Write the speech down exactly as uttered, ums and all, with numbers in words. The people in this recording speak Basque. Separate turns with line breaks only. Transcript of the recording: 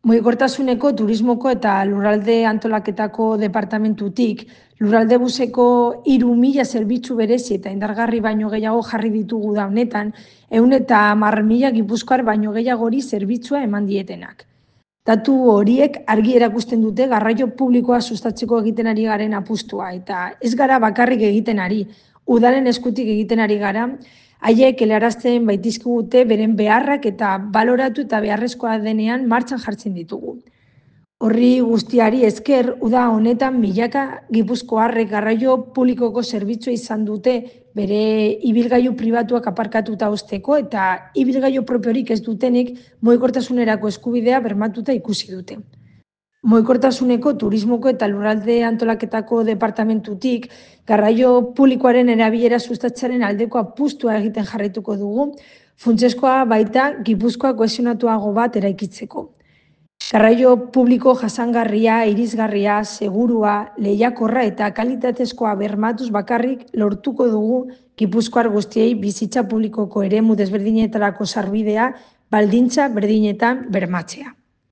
Mugikortasuneko turismoko eta lurralde antolaketako departamentutik, lurralde buseko hiru mila zerbitzu berezi eta indargarri baino gehiago jarri ditugu da honetan, ehun eta hamar mila gipuzkoar baino gehiagori zerbitzua eman dietenak. Datu horiek argi erakusten dute garraio publikoa sustatzeko egiten ari garen apustua, eta ez gara bakarrik egiten ari, udalen eskutik egiten ari gara, haiek helarazten baitizkigute beren beharrak eta baloratu eta beharrezkoa denean martxan jartzen ditugu. Horri guztiari esker, uda honetan milaka gipuzkoarrek garraio publikoko zerbitzua izan dute bere ibilgailu pribatuak aparkatuta uzteko eta ibilgailu propiorik ez dutenik mugikortasunerako eskubidea bermatuta ikusi dute. Mugikortasuneko turismoko eta lurralde antolaketako departamentutik garraio publikoaren erabilera sustatzearen aldeko apustua egiten jarraituko dugu, funtsezkoa baita Gipuzkoa kohesionatuago bat eraikitzeko. Garraio publiko jasangarria, irisgarria, segurua, lehiakorra eta kalitatezkoa bermatuz bakarrik lortuko dugu Gipuzkoar guztiei bizitza publikoko eremu desberdinetarako sarbidea baldintza berdinetan bermatzea.